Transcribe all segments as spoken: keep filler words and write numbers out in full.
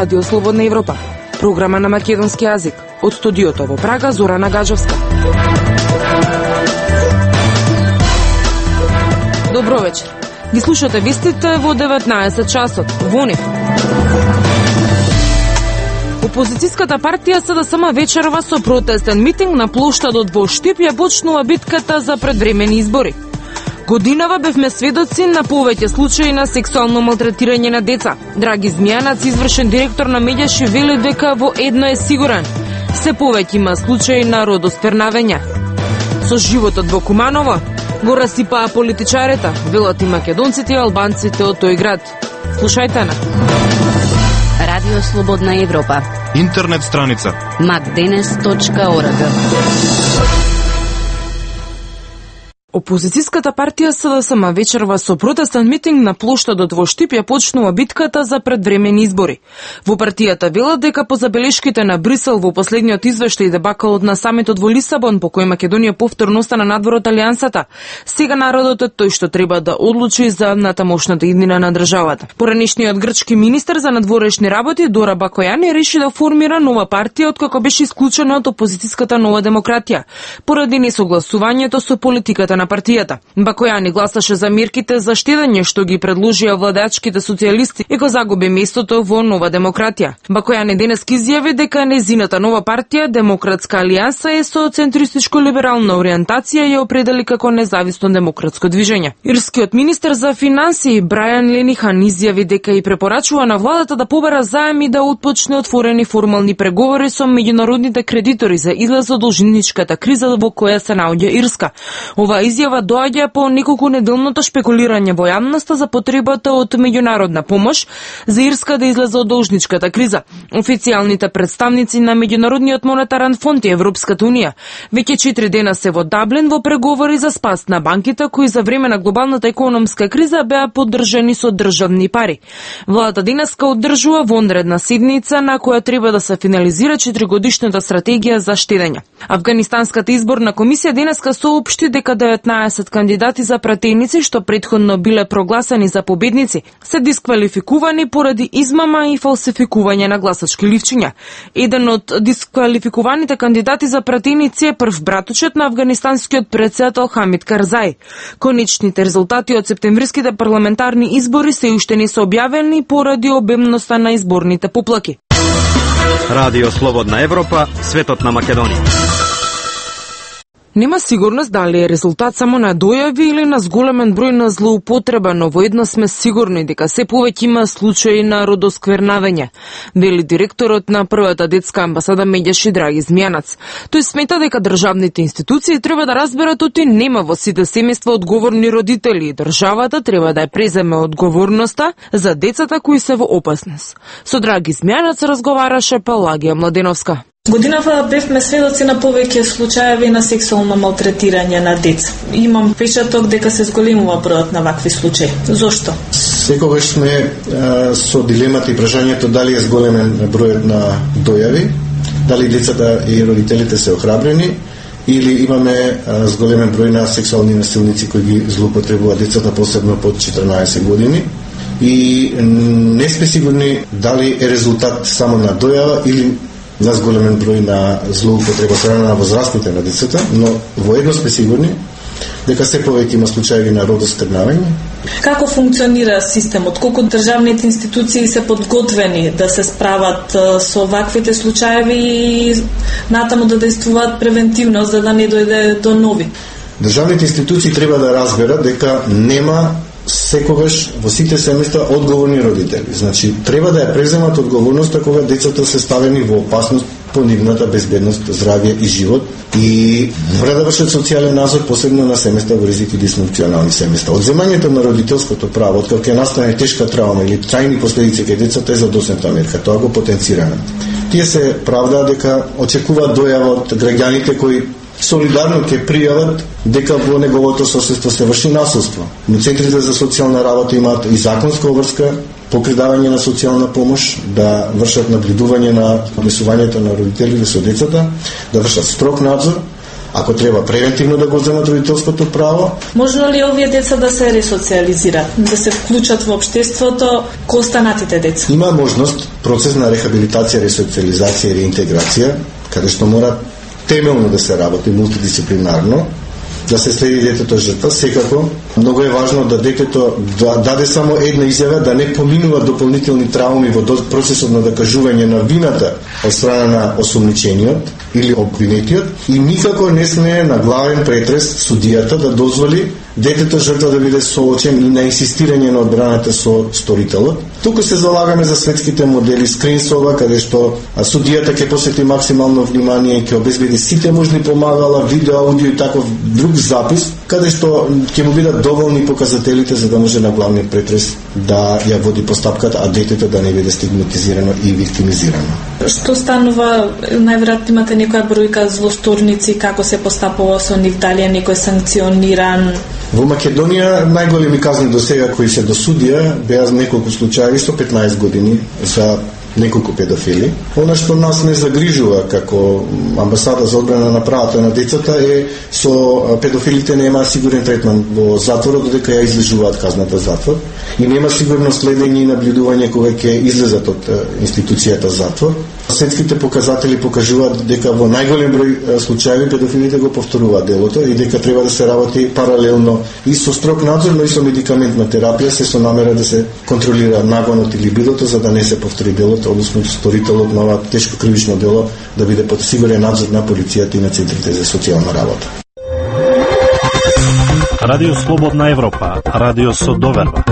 Радио Слободна Европа, програма на македонски јазик. Од студиото во Прага, Зорана Гаджевска. Добро вечер. Ги слушате вестите во деветнаесет часот. Во нив. Опозицијската партија СДСМ вечерва со протестен митинг на плоштадот во Штип ја почнува битката за предвремени избори. Годинава бевме сведоци на повеќе случаи на сексуално малтретирање на деца. Драги Змијанац, извршен директор на Медјаши, вели дека во едно е сигурен: се повеќе има случаи на родосквернавење. Со животот во Куманово го расипаа политичарите, велат и македонците и албанците од тој град. Слушајте на Радио Слободна Европа. Интернет страница макденес точка орг. Опозицијската партија СДСМ вечерва со протестен митинг на плоштадот во Штип ја почнува битката за предвремени избори. Во партијата велат дека по забелешките на Брисел во последниот извештај дебакалот на самитот во Лисабон, по кој Македонија повторно остана надвор од алијансата, сега народот е тој што треба да одлучи за натамошната иднина на државата. Поранешниот грчки министер за надворешни работи Дора Бакојани реши да формира нова партија откако беше исклучена од опозицијската Нова демократија, поради несогласувањето со политиката на партијата. Бакојани гласаше за мерките за штедење што ги предложија владачките социјалисти и го загуби местото во Нова демократија. Бакојани денес изјави дека незината нова партија Демократска алијанса е со центристичко-либерална ориентација и ја определи како независно демократско движење. Ирскиот министер за финансии Брајан Ленихан изјави дека и препорачува на владата да побара заем и да отпочне отворени формални преговори со меѓународните кредитори за излез од должничката криза во која се наоѓа Ирска. Ова изјава доаѓа по неколку неделното шпекулирање во јавноста за потребата од меѓународна помош за Ирска да излезе од должничката криза. Официјалните представници на Меѓународниот монетарен фонд и Европската унија веќе четири дена се во Даблин во преговори за спас на банките кои за време на глобалната економска криза беа поддржани со државни пари. Владата денеска одржува вонредна седница на која треба да се финализира четиригодишната стратегија за штедење. Авганистанската изборна комисија денеска соопшти дека деветнаесет кандидати за пратеници што претходно биле прогласени за победници се дисквалификувани поради измама и фалсификување на гласачки ливчиња. Еден од дисквалификуваните кандидати за пратеници е прв братучет на афганистанскиот претседател Хамид Карзај. Конечните резултати од септемвриските парламентарни избори се уште не се објавени поради обемноста на изборните поплаки. Радио Слободна Европа, светот на Македонија. Нема сигурност дали е резултат само на дојави или на зголемен број на злоупотреба, но во едно сме сигурни дека се повеќе има случаи на родосквернавење, вели директорот на првата детска амбасада Медјаши Драги Змијанац. Тој смета дека државните институции треба да разберат оти нема во сите семејства одговорни родители и државата треба да ја преземе одговорноста за децата кои се во опасност. Со Драги Змијанац разговараше Пелагија Младеновска. Годинава бевме сведоци на повеќе случаеви на сексуално малтретирање на деца. Имам впечаток дека се зголемува бројот на вакви случаи. Зошто? Секогаш сме а, со дилемата и прашањето дали е зголемен бројот на дојави, дали децата и родителите се охрабрени или имаме а, зголемен број на сексуални насилници кои ги злоупотребуваат децата, посебно под четрнаесет години. И не сме сигурни дали е резултат само на дојава или на зголемен број на злоупотреба страна на возрастните на децата, но во едно сме сигурни дека се повеќе има случаи на родосквернавање. Како функционира системот? Колку државните институции се подготвени да се справат со ваквите случаи и натаму да действуваат превентивно за да не дојде до нови? Државните институции треба да разберат дека нема секогаш во сите семејства одговорни родители. Значи, треба да ја преземат одговорноста кога децата се ставени во опасност по нивната безбедност, здравје и живот и мора да вршат социјален надзор, посебно на семејства во ризик и дисфункционални семејства. Одземањето на родителското право, откако ќе настане тешка травма или трајни последици кај децата е задосната мерка, тоа го потенцираме. Тие се правдаа дека очекуваат дојава од граѓаните кои солидарно ќе пријават дека во неговото соседство се врши насилство. Но центрите за социјална работа имаат и законска обврска по придавање на социјална помош, да вршат наблюдување на однесувањето на родителите со децата, да вршат строг надзор, ако треба превентивно да го земат родителското право. Можно ли овие деца да се ресоциализираат, да се вклучат во општеството ко останатите деца? Има можност процес на рехабилитација, ресоциализација и реинтеграција, каде што мора темелно да се работи мултидисциплинарно, да се следи детето жртва. Секако, многу е важно да детето да даде само една изјава, да не поминува дополнителни трауми во процесот на докажување на вината од страна на осумничениот или обвинетиот, и никако не смее на главен претрес судијата да дозволи детето жртва да биде соочен и на инсистирање на одбраната со сторителот. Туку се залагаме за светските модели скринсова, каде што судијата ќе посвети максимално внимание и ќе обезбеди сите можни помагала, видео, аудио и таков друг запис, каде што ќе му бидат доволни показателите за да може на главниот претрес да ја води постапката, а детето да не биде стигматизирано и виктимизирано. Што станува, најверојатно имате некоја бројка злосторници, како се постапува со нив, дали е некој санкциониран? Во Македонија најголеми казни до сега кои се до судија беа неколку случаи со петнаесет години за неколку педофили. Она што нас не загрижува како амбасада за одбрана на правата на децата е со педофилите нема сигурен третман во затворот додека ја излежуваат казната затвор и нема сигурно следење и наблюдување кога ќе излезат од институцијата затвор. Светските показатели покажуваат дека во најголем број случаи педофилите го повторуваат делото и дека треба да се работи паралелно и со строг надзор, но и со медикаментна терапија, се со намера да се контролира нагонот или бидото за да не се повтори делото, односно сторителот на ова тешко кривично дело да биде под сигурен надзор на полицијата и на центрите за социјална работа. Радио Слободна Европа, радио со доверба.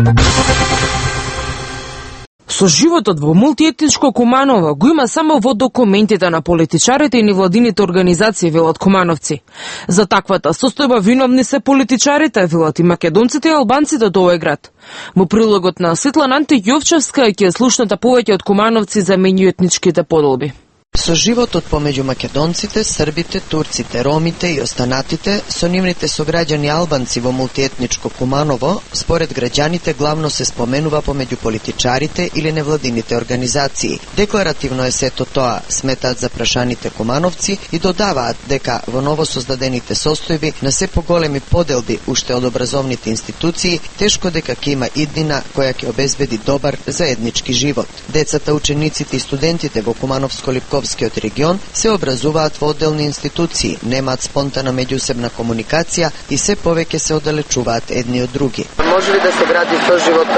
Со животот во мултиетничко Куманово го има само во документите на политичарите и невладините организации, велат кумановци. За таквата состојба виновни се политичарите, велат и македонците и албанците од овој град. Во прилогот на Светлана Антијовчевска ќе слушнете повеќе од кумановци за меѓуетничките поделби. Со животот помеѓу македонците, србите, турците, ромите и останатите, со нивните сограѓани албанци во мултиетничко Куманово, според граѓаните главно се споменува помеѓу политичарите или невладините организации. Декларативно е сето тоа, сметаат запрашаните кумановци и додаваат дека во новосоздадените состојби на се поголеми поделби уште од образовните институции, тешко дека ќе има иднина која ќе обезбеди добар заеднички живот. Децата, учениците и студентите во Кумановско-Липковскиот регион се образуваат во одделни институции, немаат спонтана меѓусебна комуникација и се повеќе се оддалечуваат едни од други. Може ли да се гради соживот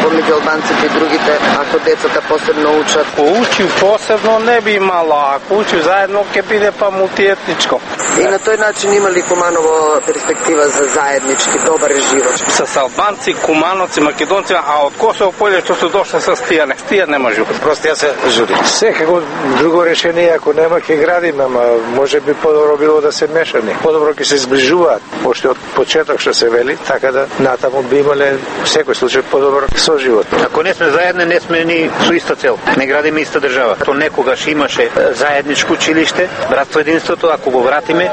помеѓу албанците и другите, ако децата посебно учат? Ако учи посебно не би имало, ако учи заедно ќе биде па мултиетничко. И на тој начин има ли Куманово перспектива за заеднички добар живот? С албанци, кумановци, македонци, а од Косово поле што се дошла со стијане. Стија не може, просто ја се жури. Секако друго решение ако нема ќе градиме, ама може би подобро било да се мешани. Подобро ќе се зближуваат, пошто од почеток што се вели, така да натаму би имале секој случај подобар соживот. Ако не сме заедно, не сме ни со иста цел. Не градиме иста држава. То некогаш имаше заедничко училиште, братство единството, ако го вратиме,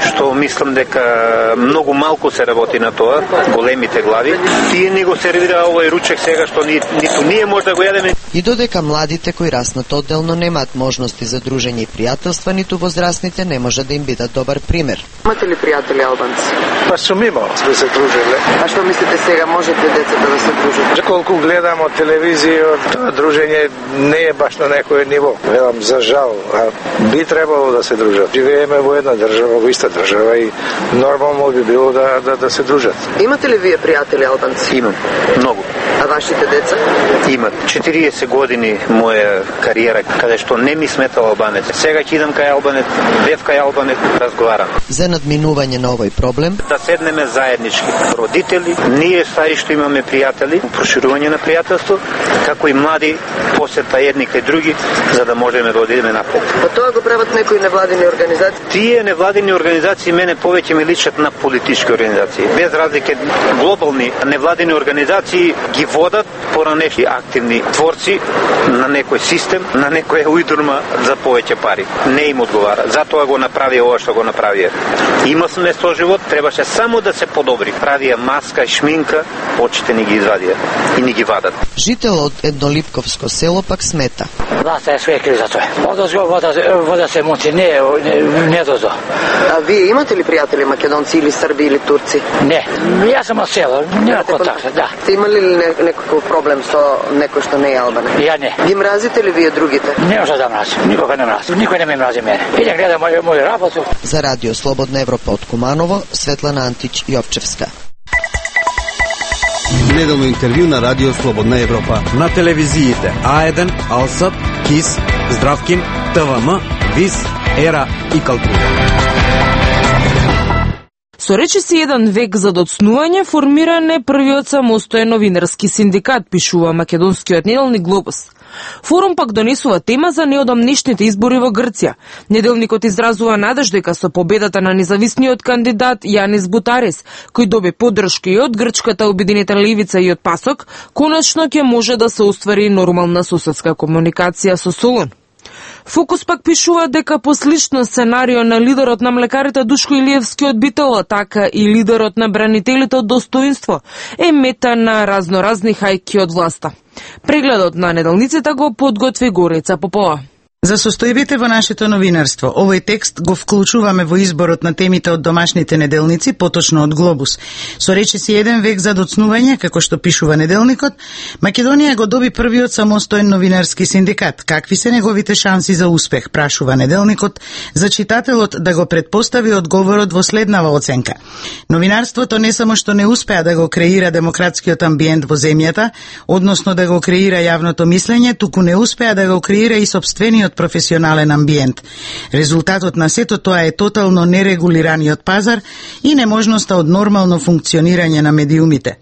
што мислам дека многу малку се работи на тоа, големите глави, тие ни го сервира овој ручек сега што ни, ниту ние може да го јадеме. И додека младите кои раснат одделно немаат можности за дружење и пријателства, ниту возрастните не може да им бидат добар пример. Имате ли пријатели албанци? Па сум имал, сме се дружиле. А што мислите сега, можете децата да се дружат? Колку гледам од телевизија, тоа дружење не е баш на некој ниво. Велам за жал, а би требало да се дружат. Живееме во една држава, во иста држава и нормално би било да, да, да се дружат. Имате ли вие пријатели албанци? Имам, многу. А вашите деца? Имат. четириесет години моја кариера, каде што не ми сметал албанец. Сега ќе идам кај албанец, бев кај албанец, разговарам. За надминување на овој проблем, да седнеме заеднички. Родители, ние стари што имаме пријатели, проширување на пријателство, како и млади посета едни кај други, за да можеме да одидеме напред. Па тоа го прават некои невладини организации? Тие невладини организации мене повеќе ми личат на политички организации. Без разлика, глобални невладини организации ги водат поранешни активни творци на некој систем, на некоја уйдурма за повеќе пари. Не им одговара. Затоа го направи ова што го направија. Има сме соживот, требаше само да се подобри. Правија маска и шминка, очите ни ги извадија и ни ги вадат. Жител од еднолипковско село пак смета. Власта е свекли за тоа. Одозго вода, вода се муци, не, не, не дозо. А вие имате ли пријатели македонци или срби или турци? Не, јас сум од село, нема контакт, да. Сте имали ли не, некаков проблем со некој што не е албанец? Ја не. Ги мразите ли вие другите? Не може да мразам, никога не мразам, никој не ме мрази мене. Идем гледам мој, мој работу. За Радио Слободна Европа од Куманово, Светлана Антич Јовчевска. Неделно интервју на Радио Слободна Европа. На телевизиите А еден, Алсат, КИС, Здравкин, ТВМ, ВИС, Ера и Калтура. Со речиси еден век за доцнување формиран е првиот самостоен новинарски синдикат, пишува македонскиот неделник Глобус. Форум пак донесува тема за неодамнешните избори во Грција. Неделникот изразува надеж дека со победата на независниот кандидат Јанис Бутарис, кој доби поддршка и од грчката Обединета левица и од Пасок, конечно ќе може да се оствари нормална соседска комуникација со Солун. Фокус пак пишува дека по слично сценарио на лидерот на млекарите Душко Илиевски од Битола, така и лидерот на бранителите од Достоинство е мета на разноразни хајки од власта. Прегледот на неделниците го подготви Горица Попова. За состојбите во нашето новинарство, овој текст го вклучуваме во изборот на темите од домашните неделници, поточно од Глобус. Со речиси еден век за доцнување, како што пишува неделникот, Македонија го доби првиот самостоен новинарски синдикат. Какви се неговите шанси за успех, прашува неделникот, за читателот да го предпостави одговорот во следнава оценка. Новинарството не само што не успеа да го креира демократскиот амбиент во земјата, односно да го креира јавното мислење, туку не успеа да го креира и собствениот професионален амбиент. Резултатот на сето тоа е тотално нерегулираниот пазар и неможноста од нормално функционирање на медиумите.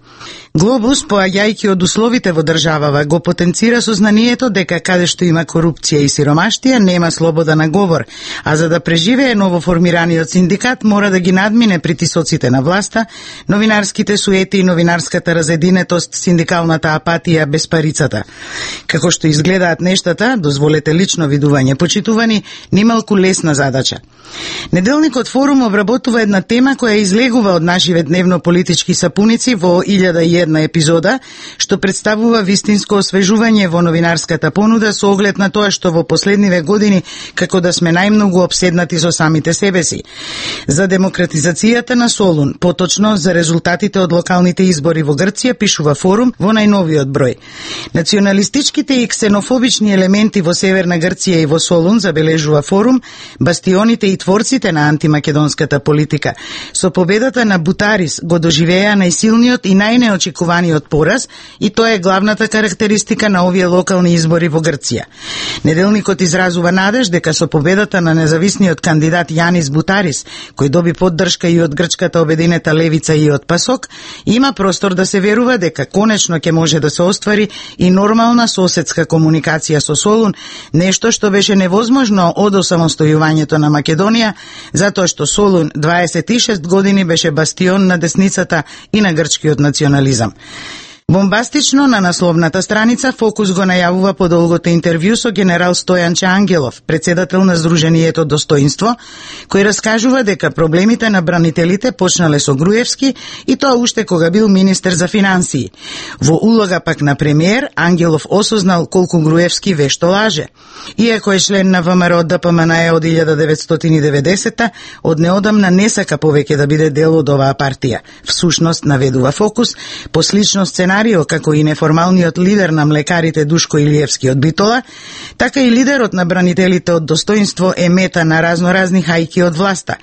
Глобус, поаѓајќи од условите во државава, го потенцира сознанието дека каде што има корупција и сиромаштија, нема слобода на говор, а за да преживее новоформираниот синдикат мора да ги надмине притисоците на власта, новинарските суети и новинарската разединетост, синдикалната апатија без парицата. Како што изгледаат нештата, дозволете лично видување, почитувани, нималку лесна задача. Неделникот Форум обработува една тема која излегува од нашиве дневно политички сапуници во илјада и една епизода, што представува вистинско освежување во новинарската понуда со оглед на тоа што во последниве години како да сме најмногу обседнати со самите себе си. За демократизацијата на Солун, поточно за резултатите од локалните избори во Грција, пишува Форум во најновиот број. Националистичките и ксенофобични елементи во Северна Грција и во Солун, забележува Форум, бастионите и творците на антимакедонската политика, со победата на Бутарис го доживеа најсилниот и најнеочекуваниот пораз, и тоа е главната карактеристика на овие локални избори во Грција. Неделникот изразува надеж дека со победата на независниот кандидат Јанис Бутарис, кој доби поддршка и од грчката Обединета левица и од Пасок, има простор да се верува дека конечно ќе може да се оствари и нормална соседска комуникација со Солун, нешто што беше невозможно од осамостојувањето на Македонија, затоа што Солун дваесет и шест години беше бастион на десницата и на грчкиот национализам. Бомбастично на насловната страница Фокус го најавува подолгото интервју со генерал Стојанче Ангелов, председател на Сдруженијето Достоинство, кој раскажува дека проблемите на бранителите почнале со Груевски и тоа уште кога бил министер за финансии. Во улога пак на премиер, Ангелов осознал колку Груевски вешто лаже. Иако е член на ВМРО ДПМНЕ од илјада деветстотини и деветдесета, од неодамна не сака повеќе да биде дел од оваа партија. Всушност, наведува Фокус, по слично сценарио како и неформалниот лидер на млекарите Душко Илиевски од Битола, така и лидерот на бранителите од Достоинство е мета на разноразни хајки од власта.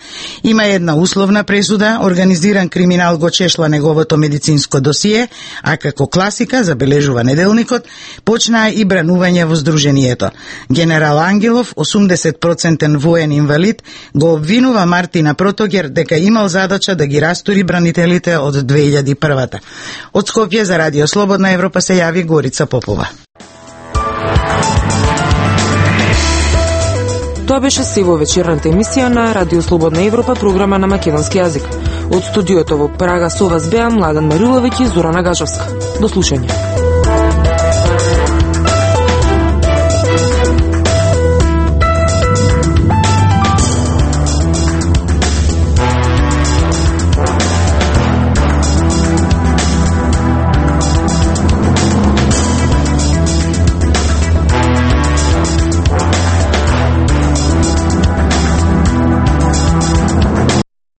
Има една условна пресуда, организиран криминал го чешла неговото медицинско досие, а како класика, забележува неделникот, почнаа и бранување во Сдруженијето. Генерал Ангелов, осумдесет проценти воен инвалид, го обвинува Мартина Протогер дека имал задача да ги растури бранителите од две илјади и прва. Од Скопје за Радио Слободна Европа се јави Горица Попова. Тоа беше се во вечерната емисија на Радио Слободна Европа, програма на македонски јазик. Од студиото во Прага со вас беа Младен Мариловиќ и Зорана Гажовска. До слушање.